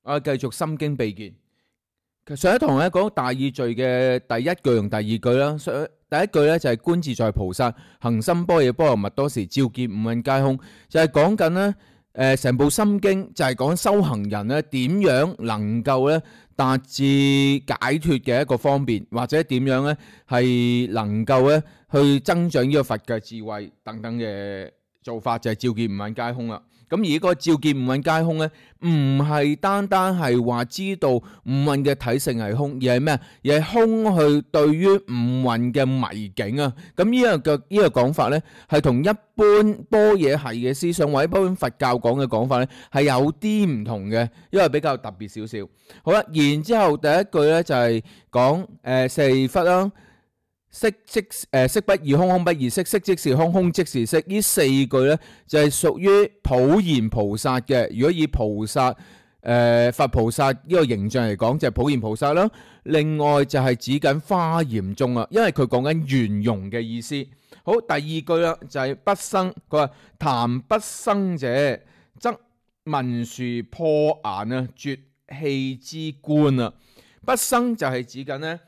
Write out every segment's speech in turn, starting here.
我哋繼續心經秘見。上一堂咧講大意序嘅第一句同第二句啦。第一句咧就係觀自在菩薩行深般若波羅蜜多時，照見五蘊皆空，就係講緊咧成部心經就係講修行人咧點樣能夠咧達至解脫嘅一個方便，或者點樣咧係能夠咧去增長呢個佛嘅智慧等等嘅做法，就係照見五蘊皆空啦。咁而呢個照見五蘊皆空咧，唔係單單係話知道五蘊嘅體性係空，而係咩啊？而係空去對於五蘊嘅迷境啊！咁呢個講法咧，係同一般般若系嘅思想或者一般佛教講嘅講法咧，係有啲唔同嘅，因為比較特別少少。好啦，然之後第一句咧就係講四忽啦。色不異空，空不異色，色即是空，空即是色。呢四句呢，就係屬於普賢菩薩嘅。如果以菩薩佛菩薩呢個形象嚟講，就係普賢菩薩啦。另外就係指緊華嚴宗啊，因為佢講緊圓融嘅意思。好，第二句啦，就係不生。佢話談不生者，則文殊破顏啊，絕氣之觀啊。不生就係指緊呢。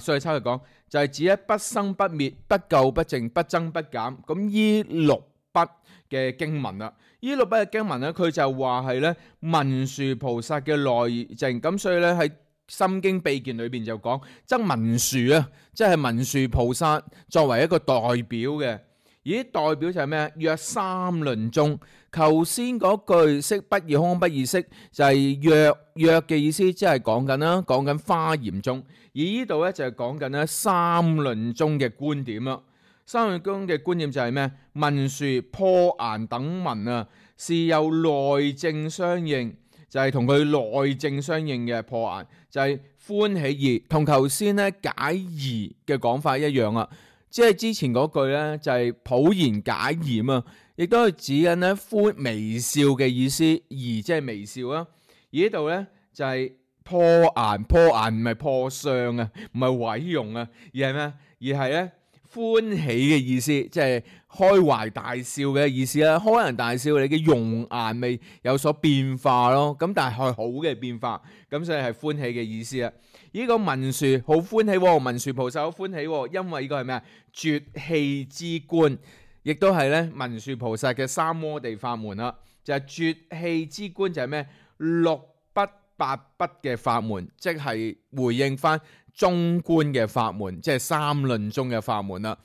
所以抽嚟講就係指咧不生不滅、不垢不淨、不增不減。咁依六筆嘅經文啦，依六筆嘅經文咧，佢就話係咧文殊菩薩嘅內證。咁所以咧喺心經秘見裏邊就講，則文殊啊，即係文殊菩薩作為一個代表嘅。而代表就係咩啊？若三論中，頭先嗰句色不異空，空不異色，就係若嘅意思，即係講緊啦，講緊華嚴宗。而呢度咧就係講緊咧三論中嘅觀點啦。三論中嘅觀點就係咩？文殊破顏等文啊，是有內證相應，就係同佢內證相應嘅破顏，就係歡喜疑，同頭先咧解疑嘅講法一樣啊。即係之前嗰句咧就係普賢解疑啊，亦都係指緊咧歡微笑嘅意思，疑即係微笑啊。而呢度咧就係破顏，破顏唔係破相啊，唔係毀容啊，而係咩？而係咧歡喜嘅意思，即係開懷大笑嘅意思啦。開人大笑，你嘅容顏未有所變化咯。咁但係係好嘅變化，咁所以係歡喜嘅意思啊。呢個文殊好歡喜，文殊菩薩好歡喜，因為呢個係咩啊？絕氣之觀，亦都係咧文殊菩薩嘅三摩地法門啦。就係絕氣之觀就係咩？六筆八筆嘅法門，即係回應翻中觀嘅法門，即係三論中嘅法門啦。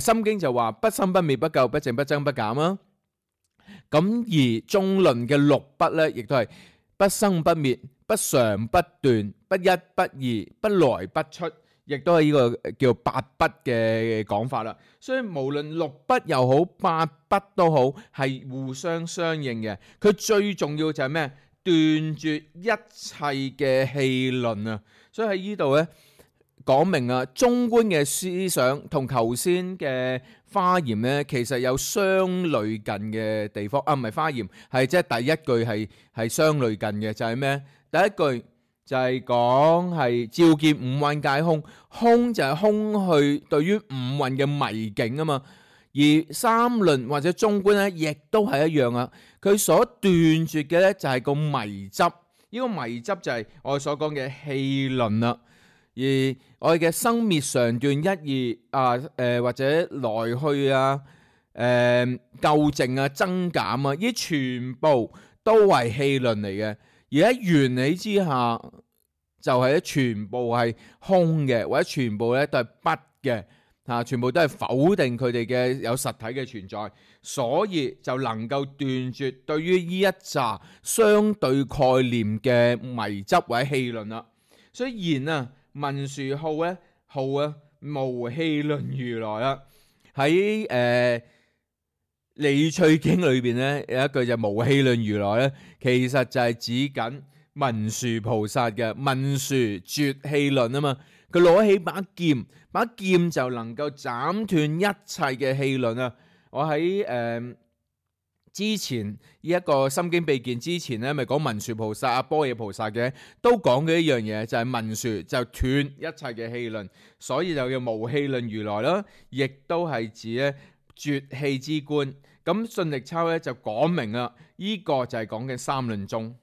心經就話不生不滅、不垢不淨、不增不減啦。咁而中論嘅六筆咧，亦都係不生不滅、不常不斷、不一不二、不來不出，亦都係呢個叫八筆嘅講法啦。所以無論六筆又好，八筆都好，係互相相應嘅。佢最重要就係咩？斷絕一切嘅戲論啊！所以喺呢度咧講明啊，中觀嘅思想同頭先嘅華嚴咧，其實有相類近嘅地方啊，唔係華嚴，係即係第一句係相類近嘅，就係咩？第一句就係講係照見五蘊皆空，空就係空去對於五蘊嘅迷境啊嘛。而三論或者中觀咧，亦都係一樣啊。佢所斷絕嘅咧就係個迷執，呢個迷執就係我哋所講嘅戲論啦。而我哋嘅生滅常斷一二啊，或者來去啊，垢淨啊，增減啊，呢全部都係戲論嚟嘅。而喺緣起之下，就係咧全部係空嘅，或者全部咧都係不嘅。全部都係否定佢哋嘅有實體嘅存在，所以就能夠斷絕對於呢一紮相對概念嘅迷執或者戲論啦。雖然啊，文殊號咧號啊無戲論如來啦，喺理趣經裏邊咧有一句就無戲論如來咧，其實就係指緊文殊菩薩嘅文殊絕戲論啊嘛。佢攞起把劍，把劍就能夠斬斷一切嘅戲論啊！我喺之前呢一個心經秘見之前咧，咪講文殊菩薩啊、般若菩薩嘅，都講嘅一樣嘢，就係文殊就斷一切嘅戲論，所以就叫無戲論如來啦，亦都係指咧絕氣之觀。咁信力抄咧就講明啦，呢個就係講緊三論宗。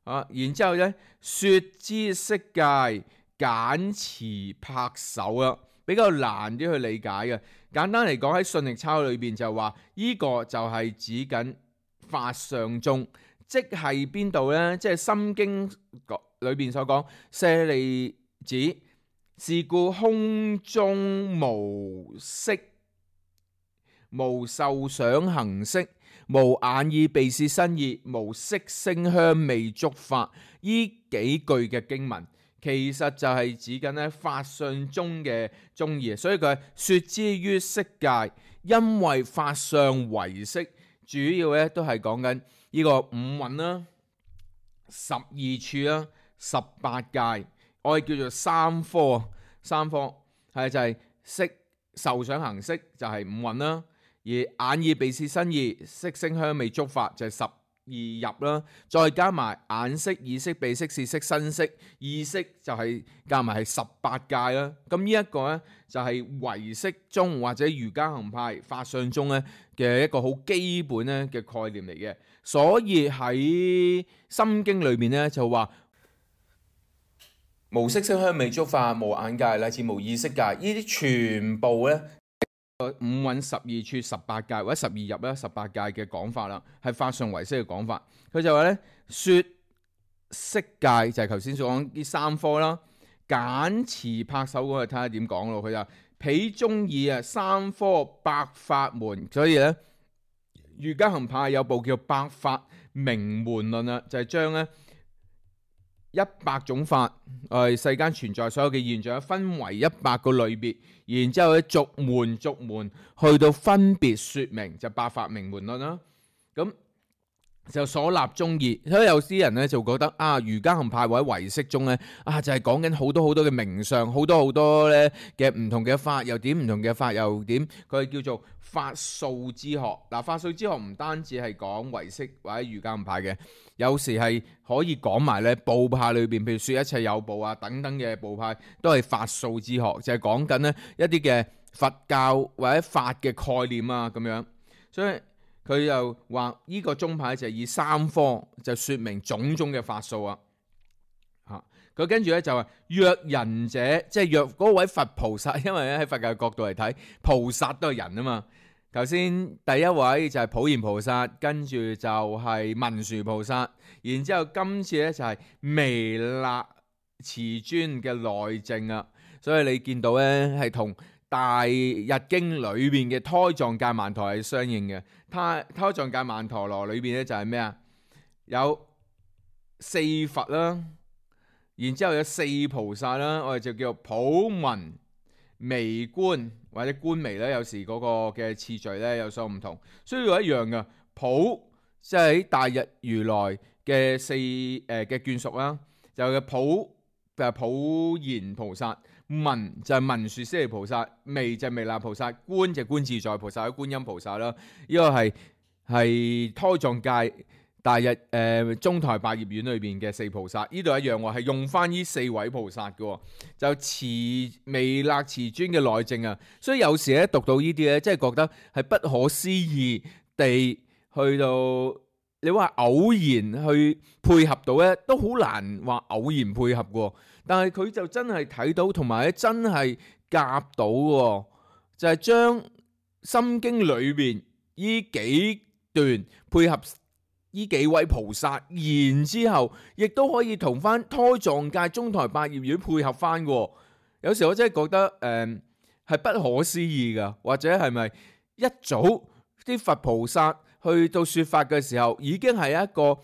然之後咧，說之釋戒，簡詞拍手啦，比較難啲去理解嘅。簡單嚟講，喺信力抄裏邊就話，呢個就係指緊法相宗，即係邊度呢？即係《心經》裏邊所講，舍利子，是故空中無色，無受想行識，無眼耳鼻舌身意，無色聲香味觸法。呢幾句嘅經文，其實就係指緊咧法相宗嘅宗義，所以佢係說之於釋戒，因為法相唯識，主要咧都係講緊呢個五蘊啦、12處啦、18界，我哋叫做三科。三科係就係色、受想行識就係五蘊啦，而眼耳鼻舌身意、色聲香味觸法就係12入啦，再加埋眼識、耳識、鼻識、舌識、身識、意識就係加埋係18界啦。咁呢一個咧就係唯識宗或者瑜伽行派法相宗咧嘅一個好基本咧嘅概念嚟嘅。所以喺心經裏面咧就話無色聲香味觸法，無眼界乃至無意識界，呢啲全部咧五蘊12處18界或者12入啦18界嘅講法啦，係法相唯識嘅講法。佢就話咧，說釋戒就係頭先所講啲三科啦，簡詞拍手嗰個睇下點講咯。佢就彼宗義三科百法門，所以咧瑜伽行派有部叫《百法明門論》啦，就係將咧100種法，世間存在所有嘅現象分為100個類別，然之後咧逐門逐門去到分別說明，就百法明門論啦。咁就所立宗義，所以有啲人咧就覺得瑜伽行派或者唯識宗咧就係講緊好多好多嘅名相，好多好多咧嘅唔同嘅法又點，唔同嘅法又點，佢叫做法數之學。法數之學唔單止係講唯識或者瑜伽行派嘅，有時係可以講埋咧部派裏邊，譬如說一切有部等等嘅部派都係法數之學，就係講緊咧一啲嘅佛教或者法嘅概念咁樣。所以佢又話呢個宗派就係以三科就說明種種嘅法數佢跟住咧就話若人者，即係若嗰位佛菩薩，因為咧喺佛教角度嚟睇，菩薩都係人啊嘛。頭先第一位就係普賢菩薩，跟住就係文殊菩薩，然之後今次咧就係彌勒慈尊嘅內證。所以你見到咧係同大日經裏邊嘅胎藏戒曼陀係相應嘅。胎藏戒曼陀羅裏邊咧就係咩啊？有4佛啦，然之後有4菩薩啦，我哋就叫普文微觀或者觀微咧，有時嗰個嘅次序咧有所唔同，所以一樣嘅。普即係喺大日如來嘅嘅眷屬啦，就係普賢菩薩，文就係文殊師利菩薩，微就係彌勒菩薩，觀就係觀自在菩薩、觀音菩薩啦。呢個係胎藏戒大日中台百葉院裏邊嘅4菩薩，呢度一樣喎，係用翻呢4位菩薩嘅，就彌勒慈尊嘅內證。所以有時咧讀到呢啲咧，真係覺得係不可思議地去到，你話偶然去配合到咧，都好難話偶然配合嘅。但係佢就真係睇到，同埋咧真係夾到嘅，就係將心經裏邊呢幾段配合呢幾位菩薩，然之後亦都可以同翻胎藏戒中台百葉院配合翻嘅。有時我真係覺得係不可思議噶，或者係咪一早啲佛菩薩去到說法嘅時候，已經係一個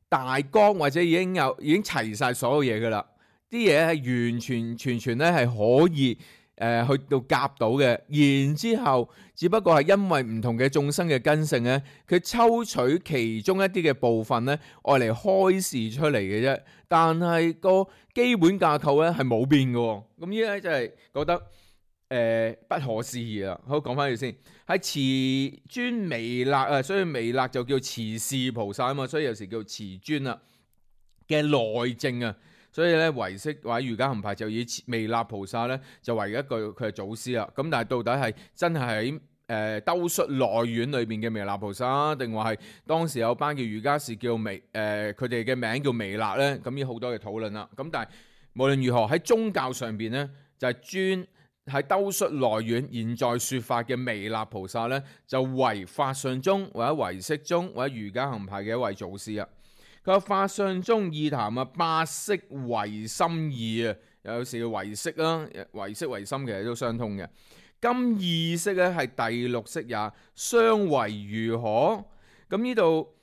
大綱，或者已經齊晒所有嘢噶啦，啲嘢係完全全全咧係可以去到夾到嘅，然之後只不過係因為唔同嘅眾生嘅根性咧，佢抽取其中一啲嘅部分咧，愛嚟開示出嚟嘅啫。但係個基本架構咧係冇變嘅。咁依家真係覺得不可思議啦。好，講翻佢先，係慈尊彌勒所以彌勒就叫慈氏菩薩啊嘛，所以有時叫慈尊嘅內證。所以咧，唯識或者瑜伽行派就以彌勒菩薩咧就為一個佢係祖師啦。咁但係到底係真係喺兜率內院裏邊嘅彌勒菩薩，定話係當時有班叫瑜伽士叫佢哋嘅名叫彌勒咧？咁呢好多嘅討論啦。咁但係無論如何喺宗教上邊咧，就係專喺兜率內院現在説法嘅彌勒菩薩咧，就為法相宗或者唯識宗或者瑜伽行派嘅一位祖師啊。佢話法相宗意談啊，八識唯心義啊，有時叫唯識啦，唯識唯心其實都相通嘅。今意識咧係第六識也，相為如何？咁呢度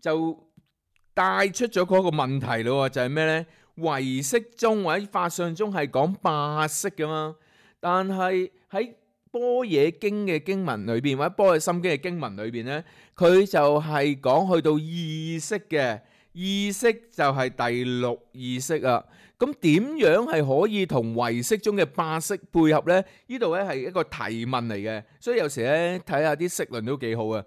就帶出咗嗰個問題咯，就係咩呢？唯識宗或者法相宗係講八識噶嘛，但係喺般若經嘅經文裏邊或者般若心經嘅經文裏邊呢，佢就係講去到意識嘅，意識就係第六意識啊。咁點樣係可以同唯識中嘅八識配合呢？呢度咧係一個提問嚟嘅，所以有時咧睇下啲釋論都幾好啊。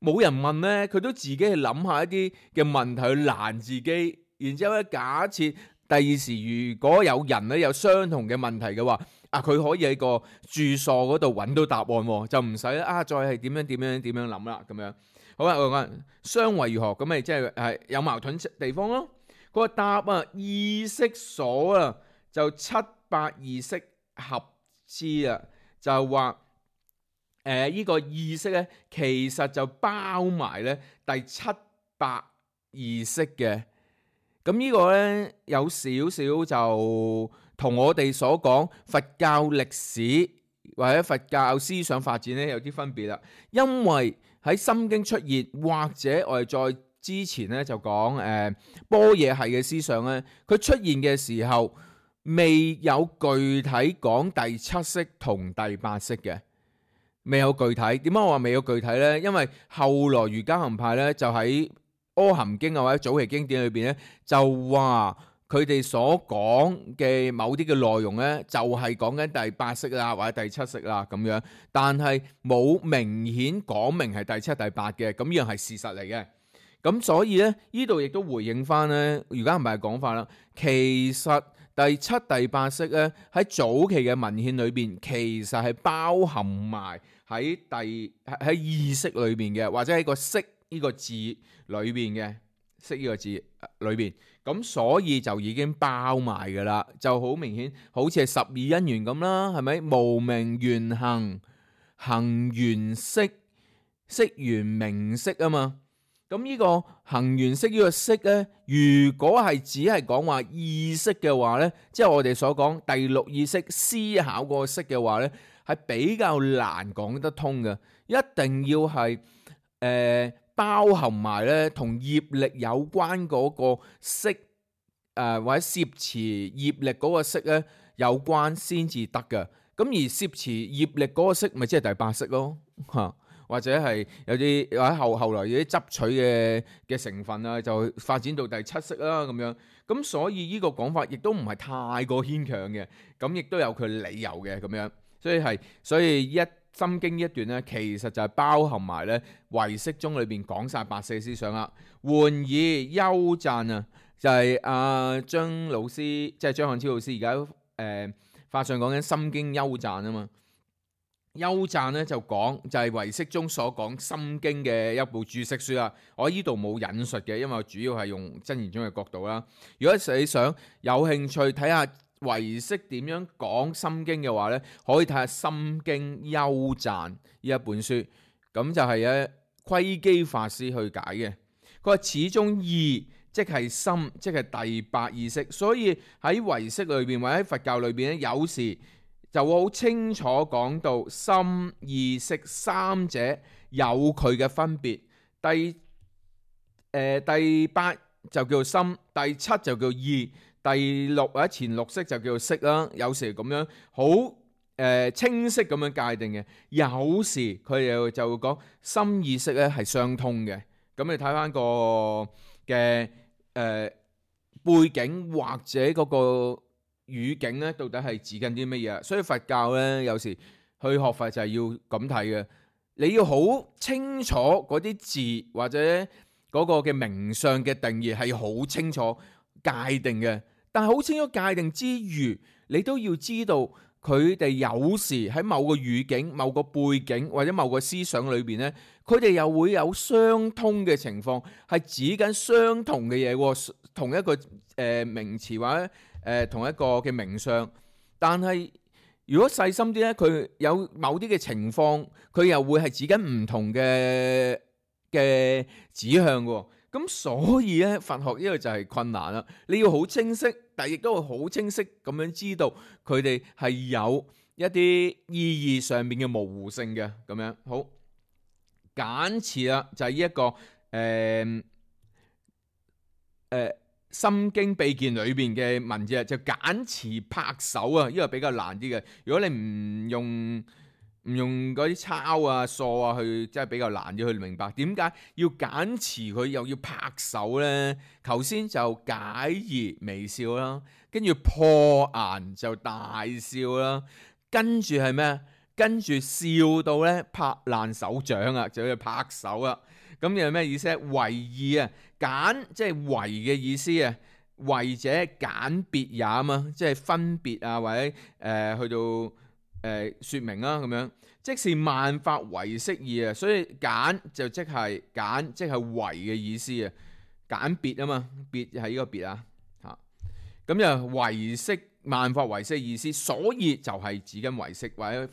冇人問呢，佢都自己去諗下一啲嘅問題去難自己，然之後咧假設第二時如果有人咧有相同嘅問題嘅話，佢可以喺個注疏嗰度揾到答案，就唔使再係點樣諗啦咁樣。好啦，我講相為如何，咁咪即係有矛盾地方咯。個答意識所就七八意識合之就話呢個意識咧，其實就包埋咧第七八意識嘅。咁呢個咧有少少就同我哋所講佛教歷史或者佛教思想發展咧有啲分別啦。因為喺心經出現，或者我哋再之前咧就講般若系嘅思想咧，佢出現嘅時候未有具體講第七識同第八識嘅，未有具體。點解我話未有具體呢？因為後來瑜伽行派咧就喺阿含經或者早期經典裏邊咧，就話佢哋所講嘅某啲嘅內容咧，就係講緊第八識啦或者第七識啦咁樣，但係冇明顯講明係第七第八嘅，咁樣係事實嚟嘅。咁所以咧，呢度亦都回應翻咧，瑜伽行派嘅講法啦。其實第七、第八識咧喺早期嘅文獻裏邊，其實係包含埋喺意識裏邊嘅，或者喺個識呢個字裏邊嘅，識呢個字裏邊。咁所以就已經包埋噶啦，就好明顯，好似係十二因緣咁啦，係咪？無明緣行，行緣識，識緣名色啊嘛。咁呢個行緣識呢個識咧，如果係只係講話意識嘅話咧，即係我哋所講第六意識思考個識嘅話咧，係比較難講得通嘅。一定要係包含埋咧同業力有關嗰個識或者攝持業力嗰個識咧有關先至得嘅。咁而攝持業力嗰個識咪即係第八識咯嚇。或者係有啲或者後來有啲執取嘅成分啊，就發展到第七識啦咁樣。咁所以呢個講法亦都唔係太過牽強嘅，咁亦都有佢理由嘅咁樣。所以一心經一段咧，其實就係包含埋咧唯識宗裏邊講晒八識思想啦。換以幽贊就係張老師，即係張漢超老師而家法上講緊心經幽贊啊嘛。幽贊咧就講就係唯識中所講心經嘅一部注釋書啦。我呢度冇引述嘅，因為我主要係用真言宗嘅角度啦。如果你想有興趣睇下唯識點樣講心經嘅話咧，可以睇下心經幽贊呢一本書。咁就係窺基法師去解嘅。佢話始終意即係心，即係第八意識。所以喺唯識裏邊或者喺佛教裏邊咧，有時就會好清楚講到心意識三者有佢嘅分別。第八就叫心，第七就叫意，第六或者前六識就叫識啦。有時咁樣好清晰咁樣界定嘅，有時佢哋就會講心意識咧係相通嘅。咁你睇翻個嘅背景或者嗰個語境咧，到底係指緊啲乜嘢？所以佛教咧，有時去學佛就係要咁睇嘅。你要好清楚嗰啲字或者嗰個嘅名相嘅定義係好清楚界定嘅。但係好清楚界定之餘，你都要知道佢哋有時喺某個語境、某個背景或者某個思想裏邊呢，佢哋又會有相通嘅情況，係指緊相同嘅嘢喎，同一個名詞或者同一個嘅名相。但係如果細心啲呢，佢有某啲嘅情況，佢又會係指緊唔同嘅指向喎。咁所以咧，佛學呢個就係困難啦。你要好清晰，但亦都會好清晰咁樣知道佢哋係有一啲意義上面嘅模糊性嘅咁樣。好，簡詞啦，就係呢一個心經秘鍵裏邊嘅文字啊，就簡詞拍手啊，呢個比較難啲嘅。如果你唔用嗰啲抄啊、數啊去，真係比較難啲去明白點解要簡詞佢又要拍手呢？頭先就解疑微笑啦，跟住破顏就大笑啦，跟住係咩？跟住笑到咧拍爛手掌啊，就要拍手啊！咁有咩意思咧？為義啊，簡即係為嘅意思啊，為者簡別也啊嘛，即係分別啊，或者去到説明啦咁樣。即是萬法唯識義啊，所以簡就即係簡，即係為嘅意思啊，簡別啊嘛，別係呢個別啊嚇。咁就唯識萬法唯識意思，所以就係指緊唯識或者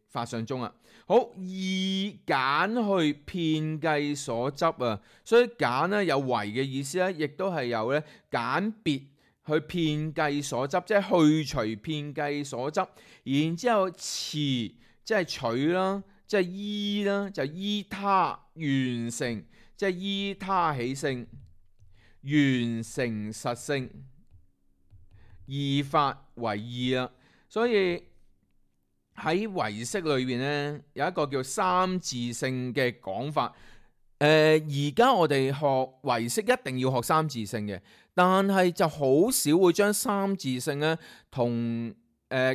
法上中啊。好，以簡去遍計所執啊，所以簡咧有為嘅意思咧，亦都係有咧簡別去遍計所執，即係去除遍計所執。然之後持即係取啦，即係依啦，就依他完成，即係依他起性，完成實性，義法為義啦。所以喺唯識裏邊咧，有一個叫三自性嘅講法。而家我哋學唯識一定要學三自性嘅，但係就好少會將三自性咧同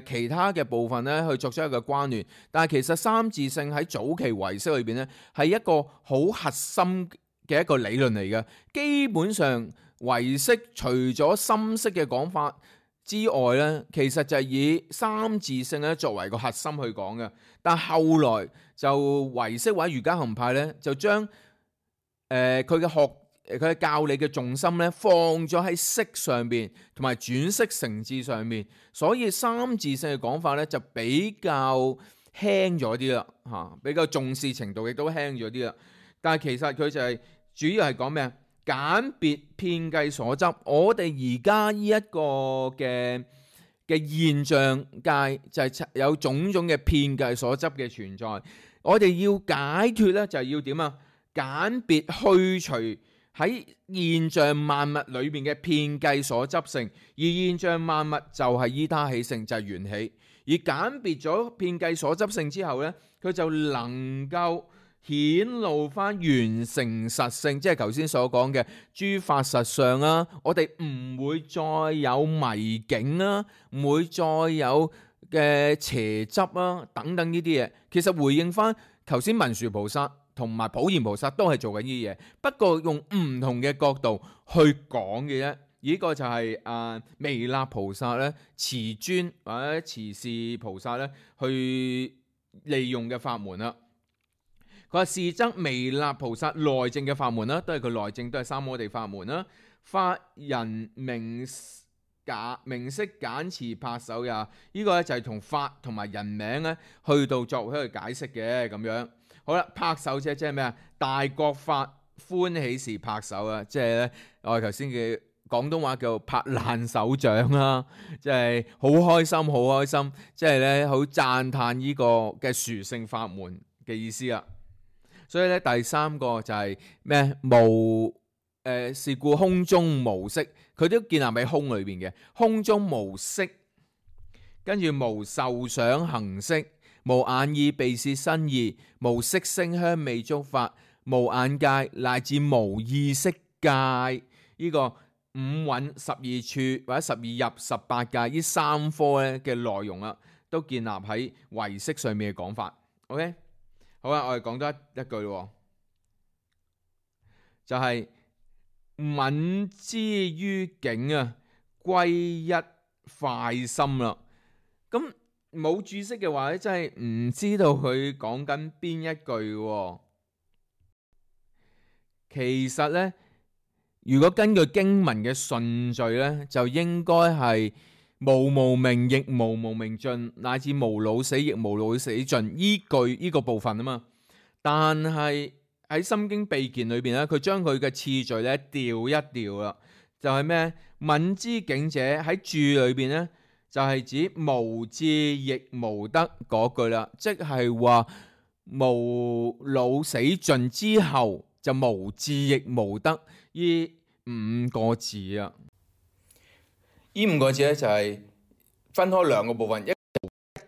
其他嘅部分咧去作出一個關聯。但係其實三自性喺早期唯識裏邊咧係一個好核心嘅一個理論嚟嘅。基本上唯識除咗深識嘅講法之外咧，其實就係以三自性咧作為個核心去講嘅。但係後來就唯識或者瑜伽行派咧就將佢嘅教理嘅重心咧放咗喺識上邊，同埋轉識成智上面，所以三自性嘅講法咧就比較輕咗啲啦，嚇，比較重視程度亦都輕咗啲啦。但係其實佢就係主要係講咩啊？簡別遍計所執。我哋而家呢一個嘅現象界就係有種種嘅遍計所執嘅存在。我哋要解決咧就係要點啊？簡別去除喺現象萬物裏邊嘅遍計所執性，而現象萬物就係依他起性，就係緣起。而簡別咗遍計所執性之後呢，佢就能夠顯露翻完成實性，即係頭先所講嘅諸法實相啦。我哋唔會再有迷境啦，唔會再有嘅邪執啦，等等呢啲嘢。其實回應翻頭先文殊菩薩同埋普賢菩薩都係做緊呢啲嘢，不過用唔同嘅角度去講嘅啫。呢個就係彌勒菩薩咧、慈尊或者慈氏菩薩咧去利用嘅法門啦。佢話是則彌勒菩薩內證嘅法門啦，都係佢內證，都係三摩地法門啦。法人名色簡詞拍手也，呢個咧就係同法同埋人名咧去到作為一個解釋嘅咁樣。好啦，拍手即係咩啊？大覺法歡喜時拍手啊！即係咧，我哋頭先嘅廣東話叫拍爛手掌啦，即係好開心，好開心，即係咧好讚歎呢個嘅殊勝法門嘅意思啦。所以咧，第三個就係咩？無是故空中無色，佢都建立喺空裏邊嘅。空中無色，跟住無受想行識。無眼耳鼻舌身意，無色聲香味觸法，無眼界乃至無意識界。呢個五蘊12處或者12入18界呢三科咧嘅內容啦，都建立喺唯識上面嘅講法。OK， 好啦，我哋講多一句咯，就係、是、敏之於境啊，歸一快心啦。咁冇注釋嘅話咧，真係唔知道佢講緊邊一句喎。其實咧，如果根據經文嘅順序咧，就應該係無無明亦無無明盡，乃至無老死亦無老死盡依句呢個部分啊嘛。但係喺《心經秘鍵》裏邊咧，佢將佢嘅次序咧調一調啦，就係咩？敏之境者喺注裏邊咧，就係指無智亦無得嗰句啦，即係話無老死盡之後就無智亦無得呢五個字啊。呢五個字咧就係分開兩個部分，一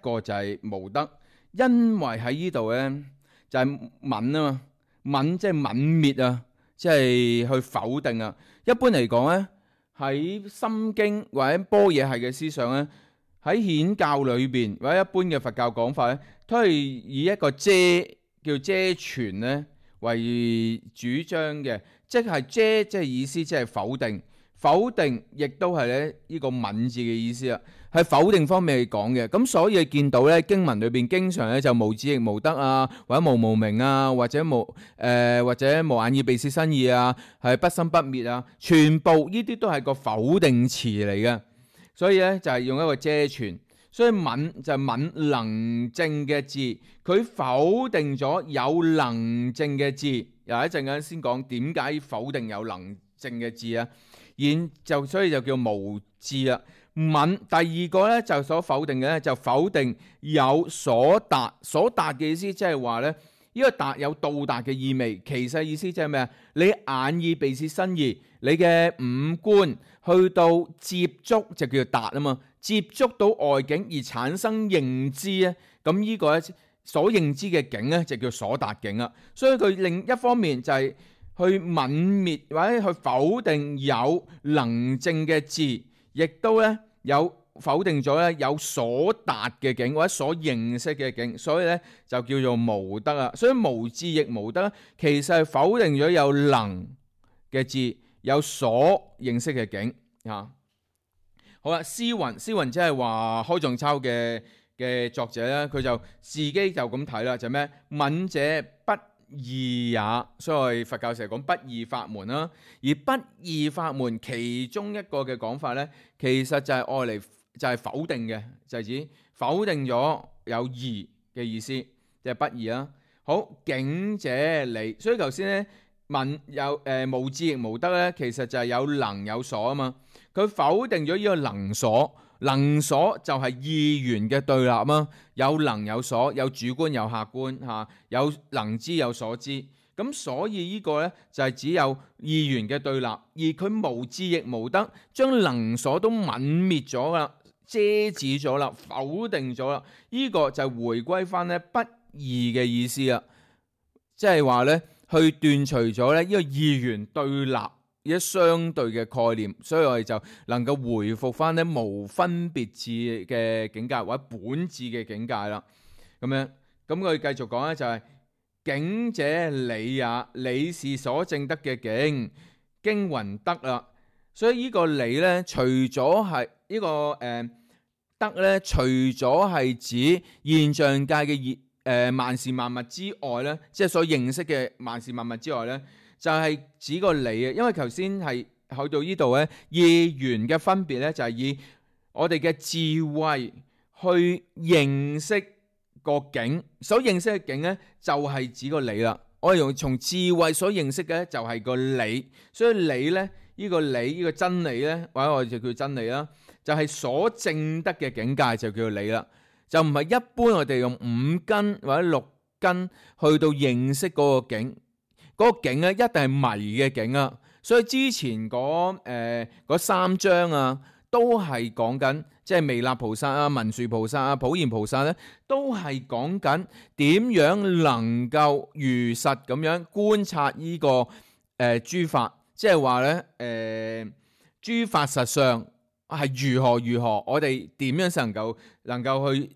個就係無得，因為喺呢度咧就係泯啊嘛，泯即係泯滅啊，即係去否定啊。一般嚟講咧，喺心經或者般若系嘅思想咧，喺顯教裏邊或者一般嘅佛教講法咧，都係以一個遮叫遮傳咧為主張嘅，即係遮即係意思即係否定，否定亦都係咧呢個泯字嘅意思啊，係否定方面去講嘅。咁所以見到咧經文裏邊經常咧就無智亦無得啊，或者無無明啊，或者無眼耳鼻舌身意啊，係不生不滅啊，全部呢啲都係個否定詞嚟嘅。所以咧就係用一個遮傳，所以泯就係泯能證嘅字，佢否定咗有能證嘅字。又一陣間先講點解否定有能證嘅字啊。所以就叫無智啦。泯第二個咧就所否定嘅咧就否定有所達，所達嘅意思即係話咧呢個達有到達嘅意味，其實意思即係咩啊？你眼耳鼻舌身意，你嘅五官去到接觸就叫做達啊嘛，接觸到外境而產生認知咧，咁呢個咧所認知嘅境咧就叫所達境啦。所以佢另一方面就係去泯滅或者去否定有能證嘅字，亦都咧有否定咗咧有所達嘅境或者所認識嘅境，所以咧就叫做無得啊。所以無智亦無得，其實係否定咗有能嘅字，有所認識嘅境啊。好啦，詩雲即係話開藏抄嘅作者咧，佢就自己就咁睇啦，就咩？泯者不二也，所以佛教成日講不二法門啦。而不二法門其中一個嘅講法咧，其實就係愛嚟就係否定嘅，就係指否定咗有二嘅意思，即係不二啦。好，境者理，所以頭先咧泯有無智亦無得咧，其實就係有能有所啊嘛。佢否定咗呢個能所，能所就係二元嘅對立啊，有能有所，有主觀有客觀嚇，有能知有所知。咁所以呢個咧就係只有二元嘅對立，而佢無智亦無得，將能所都泯滅咗啦，遮止咗啦，否定咗啦。呢個就回歸翻咧不二嘅意思啦，即係話咧去斷除咗咧呢個二元對立一相對嘅概念，所以我哋就能夠回復翻咧無分別智嘅境界或者本智嘅境界啦。咁樣咁佢繼續講咧就係境者理也，理是所證得嘅境，經云得啦。所以呢個理咧，除咗係呢個得咧，除咗係指現象界嘅萬事萬物之外咧，即係所認識嘅萬事萬物之外咧，就係指個理啊。因為頭先係去到呢度咧，二元嘅分別咧就係以我哋嘅智慧去認識個境，所認識嘅境咧就係指個理啦。我哋用從智慧所認識嘅就係個理，所以理咧呢個理呢個真理咧，或者我哋就叫真理啦，就係所證得嘅境界就叫做理啦。就唔係一般我哋用五根或者六根去到認識嗰個境，嗰個境咧一定係迷嘅境啊。所以之前嗰三章啊，都係講緊即係彌勒菩薩啊、文殊菩薩啊、普賢菩薩咧，都係講緊點樣能夠如實咁樣觀察呢個諸法，即係話咧諸法實相係如何，我哋點樣先能夠去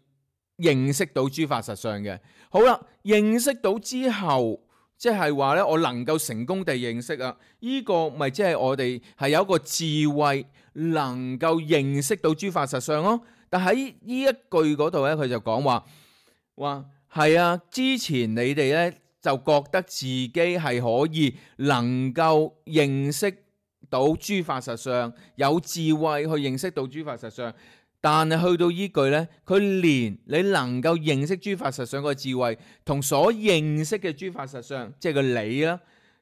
認識到諸法實相嘅。好啦，認識到之後即係話咧，我能夠成功地認識啊，呢個咪即係我哋係有一個智慧，能夠認識到諸法實相咯。但喺呢一句嗰度咧，佢就講話係啊，之前你哋咧就覺得自己係可以能夠認識到諸法實相，有智慧去認識到諸法實相。但係去到依句呢，佢連你能夠認識諸法實相個智慧，同所認識嘅諸法實相，即係個你啦，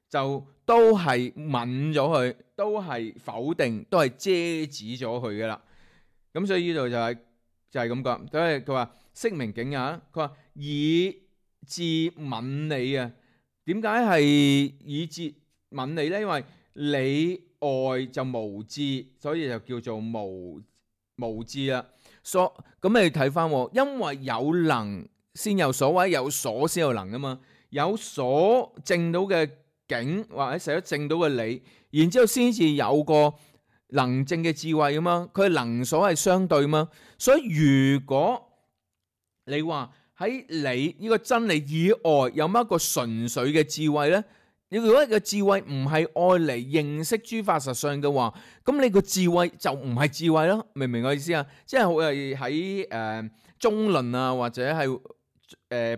就都係泯咗佢，都係否定，都係遮止咗佢嘅啦。咁所以呢度就係咁講，所以佢話識明境也，佢話以智泯理啊。點解係以智泯理呢？因為理外就無智，所以就叫做無智啦。咁你睇翻，因為有能先有所，或者有所先有能啊嘛。有所證到嘅境，或者寫咗證到嘅理，然之後先至有個能證嘅智慧啊嘛。佢能所係相對嘛。所以如果你話喺你呢個真理以外有乜一個純粹嘅智慧呢？你如果個智慧唔係愛嚟認識諸法實相嘅話，咁你個智慧就唔係智慧咯，明唔明我意思啊？即係我係喺中論啊，或者係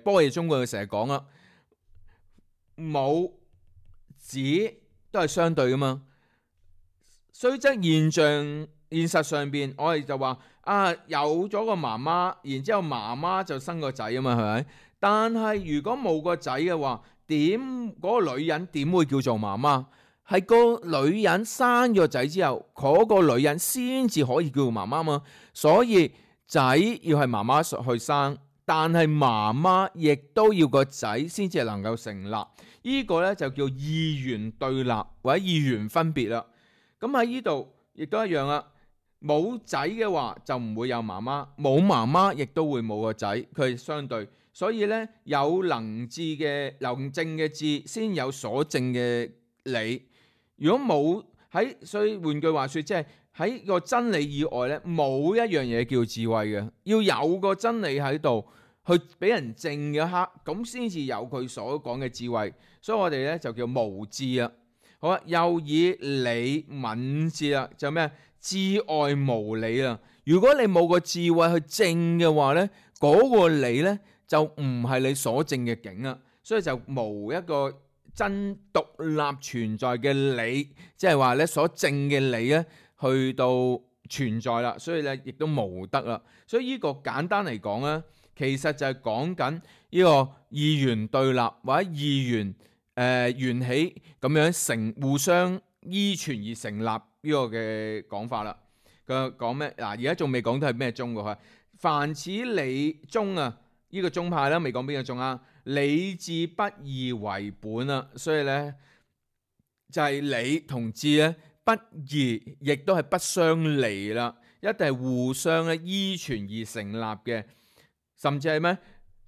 般若中觀佢成日講啦，母子都係相對噶嘛。雖則現實上邊，我哋就話有咗個媽媽，然之後媽媽就生個仔啊嘛，係咪？但係如果冇個仔嘅話，嗰個女人點會叫做媽媽？係個女人生咗仔之後，嗰個女人先至可以叫做媽媽嘛。所以仔要係媽媽去生，但係媽媽亦都要個仔先至能夠成立。呢個呢就叫二元對立或者二元分別啦。咁喺呢度亦都一樣啦。冇仔嘅話就唔會有媽媽，冇媽媽亦都會冇個仔，佢係相對。所以咧，有能證嘅智，先有所證嘅理。如果冇喺，所以換句話說，即係喺個真理以外咧，冇一樣嘢叫智慧嘅。要有個真理喺度，去俾人證嘅刻，咁先至有佢所講嘅智慧。所以我哋咧就叫無智啊。好啦，又以理泯智啦，就咩？智外無理啦。如果你冇個智慧去證嘅話咧，嗰個理咧，就唔係你所證嘅境啊，所以就無一個真獨立存在嘅理，即係話咧所證嘅理咧去到存在啦，所以咧亦都無得啦。所以呢個簡單嚟講咧，其實就係講緊呢個二元對立或者二元緣起咁樣互相依存而成立呢個嘅講法啦。佢講咩？嗱，而家仲未講到係咩宗嘅，凡此理宗啊。呢個宗派啦，未講邊個宗啊？理智不二為本啊，所以咧就係理同智咧不二，亦都係不相離啦，一定係互相咧依存而成立嘅，甚至係咩？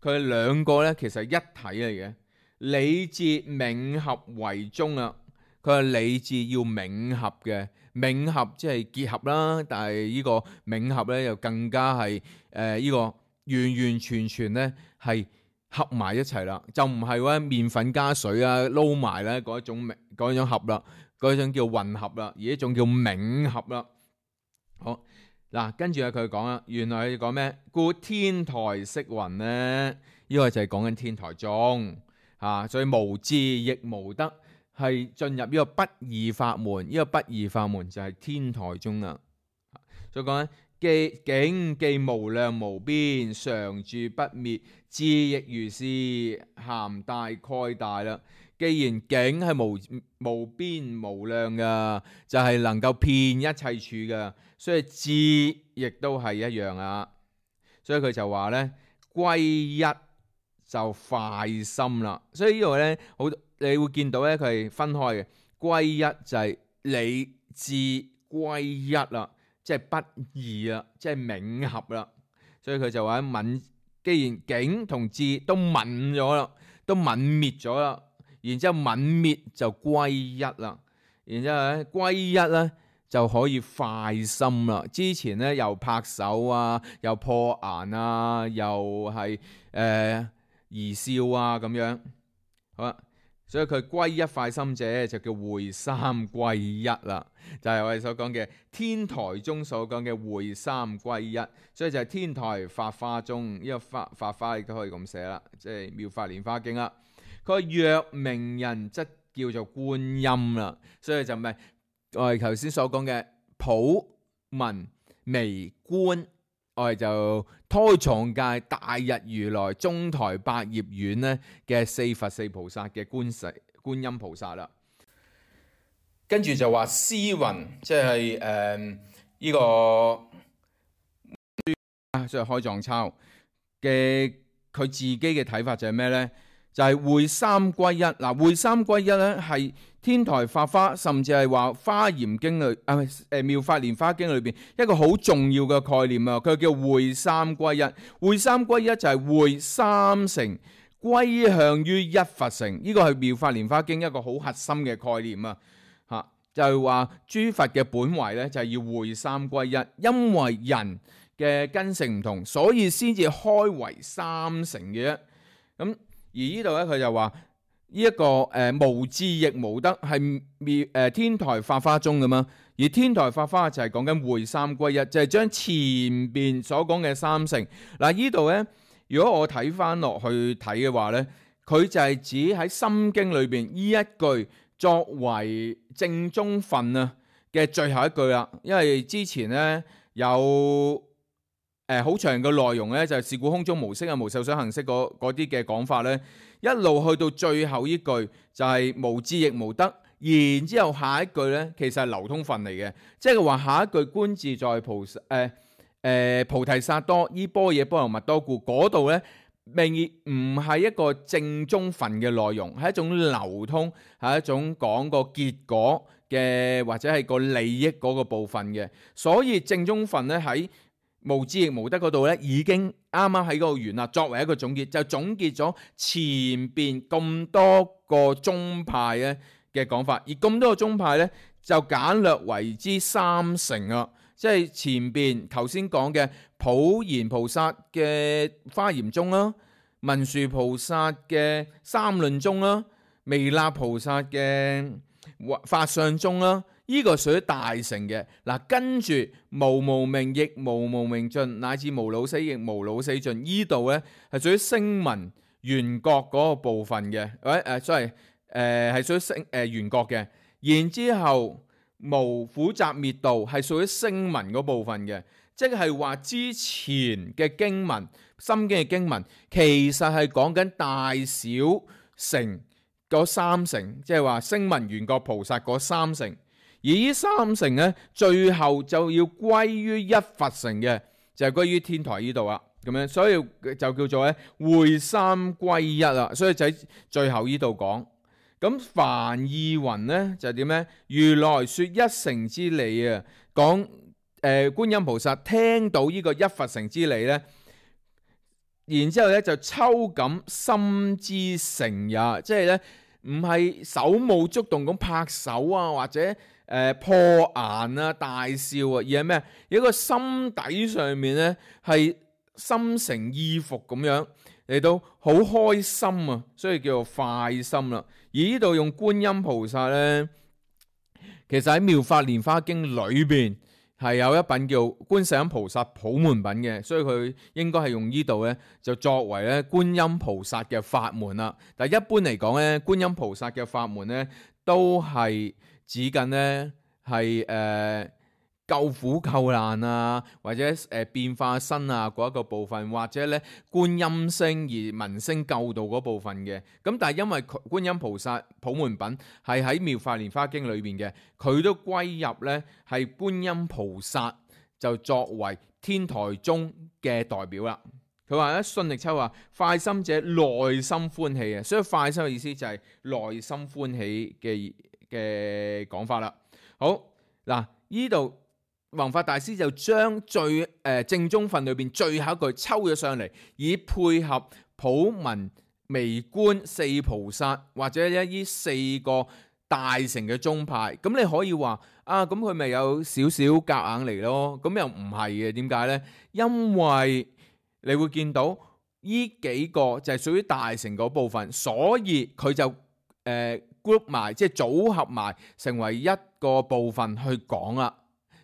佢哋兩個咧其實係一體嚟嘅，理智冥合為宗啊。佢係理智要冥合嘅，冥合即係結合啦，但係呢個冥合咧又更加係呢個。完完全全咧係合埋一齊啦，就唔係話麵粉加水啊撈埋咧嗰一種合啦，嗰種叫混合啦，而一種叫冥合啦。好嗱，跟住佢講啦，原來佢講咩？故天台式雲咧，呢個就係講緊天台宗所以無智亦無得，係進入呢個不二法門。呢個不二法門就係天台宗啦。所以講咧。境既無量無邊，常住不滅，智亦如是，涵大蓋大啦。既然境係無邊無量噶，就係能夠遍一切處噶，所以智亦都係一樣啊。所以佢就話咧，歸一就快心啦。所以呢度咧，你會見到咧，佢係分開嘅。歸一就係理智歸一啦。即係不二啦，即係冥合啦，所以佢就話泯，既然境同智都泯咗啦，都泯滅咗啦，然之後泯滅就歸一啦，然之後咧歸一咧就可以快心啦。之前咧又拍手啊，又破顏啊，又係兒笑啊咁樣。好啦，所以佢歸一快心者就叫會三歸一啦，就係我哋所講嘅天台宗所講嘅會三歸一，所以就係天台法華宗呢個法華亦都可以咁寫啦，即係妙法蓮華經啦。佢話若名人則叫做觀音啦，所以就唔係我哋頭先所講嘅普文微觀，我哋就胎藏界大日如來中台百葉院咧嘅四佛四菩薩嘅觀音菩薩啦。跟住就話詩雲，即係呢個即係開藏抄嘅佢自己嘅睇法就係咩呢？就係會三歸一。嗱，會三歸一咧係天台法華，甚至係話華嚴經裏妙法蓮華經裏邊一個好重要嘅概念啊！佢叫會三歸一。會三歸一就係會三乘歸向於一佛乘，呢個係妙法蓮華經一個好核心嘅概念啊！嚇就係話諸佛嘅本懷咧就係要會三歸一，因為人嘅根性唔同，所以先至開為三乘嘅啫。咁而呢度咧，佢就話呢一個無智亦無得係天台法華宗咁嘛。而天台法華就係講緊會三歸一，就係將前邊所講嘅三乘嗱，呢度咧，如果我睇翻落去睇嘅話咧，佢就係指喺心經裏邊呢一句作為正宗分啊嘅最後一句啦。因為之前咧有好長嘅內容咧，就係是故空中無色啊，無受想行識嗰啲嘅講法咧，一路去到最後呢句就係無智亦無得，然之後下一句咧其實係流通分嚟嘅，即係話下一句觀自在菩提薩埵依般若波羅蜜多故嗰度咧，並唔係一個正宗分嘅內容，係一種流通，係一種講個結果嘅或者係個利益嗰個部分嘅，所以正宗分咧喺無智亦無得嗰度咧，已經啱啱喺嗰度完啦。作為一個總結，就總結咗前邊咁多個宗派咧嘅講法，而咁多個宗派咧就簡略為之三乘啊。即係前邊頭先講嘅普賢菩薩嘅華嚴宗啦，文殊菩薩嘅三論宗啦，彌勒菩薩嘅法相宗啦。呢個屬於大乘嘅嗱，跟住無明亦無明盡，乃至無老死亦無老死盡，呢度咧係屬於聲聞緣覺嗰個部分嘅，係屬於緣覺嘅。然之後無苦集滅道係屬於聲聞嗰部分嘅，即係話之前嘅經文心經嘅經文其實係講緊大小乘嗰三乘，即係話聲聞緣覺菩薩嗰三乘。而呢三乘咧，最後就要歸於一佛乘嘅，就係歸於天台呢度啦。咁樣，所以就叫做咧會三歸一啦。所以就喺最後呢度講。咁梵義雲咧就點咧？如來說一乘之理啊，講觀音菩薩聽到呢個一佛乘之理咧，然之後咧就抽感心之乘也，即係咧唔係手舞足動咁拍手啊，或者破顏啊、大笑啊，而係咩？有一個心底上面咧係心誠意服咁樣嚟到好開心啊，所以叫做快心啦。而呢度用觀音菩薩咧，其實喺妙法蓮華經裏邊係有一品叫觀世音菩薩普門品嘅，所以佢應該係用呢度咧就作為咧觀音菩薩嘅法門啦。但係一般嚟講咧，觀音菩薩嘅法門咧都係指緊咧係救苦救難啊，或者變化身啊嗰一個部分，或者咧觀音聲而聞聲救度嗰部分嘅。咁但係因為觀音菩薩普門品係喺妙法蓮華經裏邊嘅，佢都歸入咧係觀音菩薩就作為天台宗嘅代表啦。佢話咧信力秋話快心者內心歡喜啊，所以快心嘅意思就係內心歡喜嘅講法啦。好嗱，呢度弘法大師就將最正宗分裏邊最後一句抽咗上嚟，以配合普文微觀四菩薩或者呢四個大乘嘅宗派。咁你可以話啊，咁佢咪有少少夾硬嚟咯？咁又唔係嘅，點解呢？因為你會見到呢幾個就係屬於大乘嗰部分，所以佢就 group 埋，即係組合埋成為一個部分去講啦。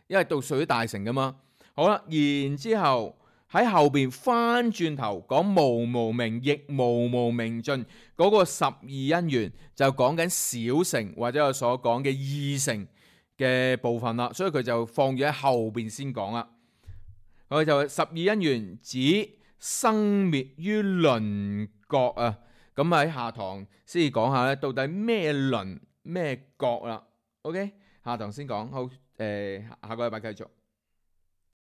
因為到屬於大成噶嘛。好啦，然之後喺後邊翻轉頭講無無明亦無無明盡嗰個十二因緣，就講緊小乘或者我所講嘅二乘嘅部分啦。所以佢就放咗喺後邊先講啦。佢就十二因緣指生滅於輪覺啊。咁喺下堂先至講下咧，到底咩輪咩覺啦。OK， 下堂先講。好，下個禮拜繼續。